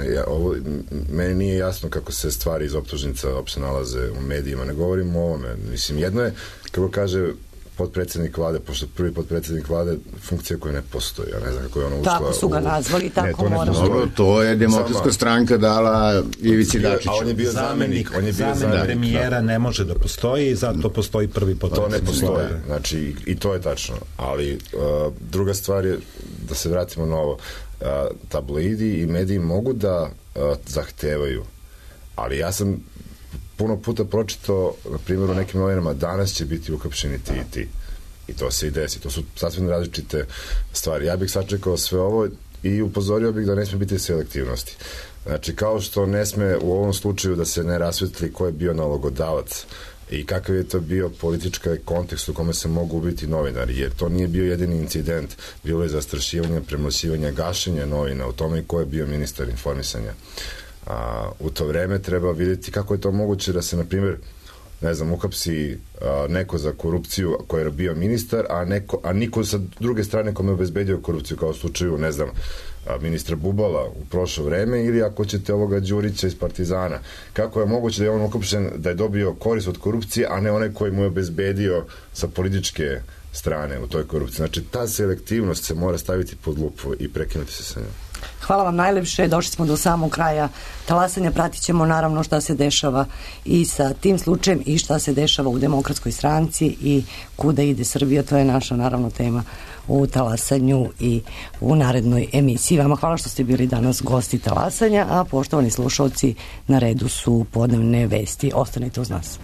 S4: Meni nije jasno kako se stvari iz optužnica uopšte nalaze u medijima. Ne govorimo o ovome. Mislim, jedno je, kako kaže potpredsjednik vlade, pošto prvi potpredsjednik vlade funkcija koja ne postoji, ja ne znam kako je ona ušla.
S2: Tako su ga nazvali, tako moramo.
S5: To je Demokratska stranka dala Ivici Dačiću.
S4: A on je bio zamenik.
S6: Premijera ne može da postoji, zato postoji prvi potpredsjednik.
S4: To ne postoji, znači i to je tačno. Ali druga stvar je, da se vratimo na ovo, tabloidi i mediji mogu da zahtevaju, ali ja sam puno puta pročitao, na primjer, u nekim novinama, danas će biti uhapšeni ti i ti. I to se i desi. To su sasvim različite stvari. Ja bih sačekao sve ovo i upozorio bih da ne sme biti selektivnosti. Znači, kao što ne sme u ovom slučaju da se ne rasvetli ko je bio nalogodavac i kakav je to bio politički kontekst u kome se mogu ubiti novinari, jer to nije bio jedini incident. Bilo je zastrašivanje, premlaćivanje, gašenje novina, u tome i ko je bio ministar informisanja. U to vreme treba vidjeti kako je to moguće da se, na primjer, ne znam, uhapsi neko za korupciju koji je bio ministar, a niko sa druge strane kome je obezbedio korupciju, kao u slučaju, ne znam, ministra Bubala u prošlo vreme, ili ako ćete ovoga Đurića iz Partizana. Kako je moguće da je on uhapšen, da je dobio korist od korupcije, a ne onaj koji mu je obezbedio sa političke strane u toj korupciji? Znači, ta selektivnost se mora staviti pod lupu i prekinuti se sa njom.
S2: Hvala vam najlepše, došli smo do samog kraja talasanja, pratit ćemo naravno šta se dešava i sa tim slučajem i šta se dešava u Demokratskoj stranci i kuda ide Srbija, to je naša naravno tema u talasanju i u narednoj emisiji. Vama hvala što ste bili danas gosti talasanja, a poštovani slušalci, na redu su podnevne vesti. Ostanite uz nas.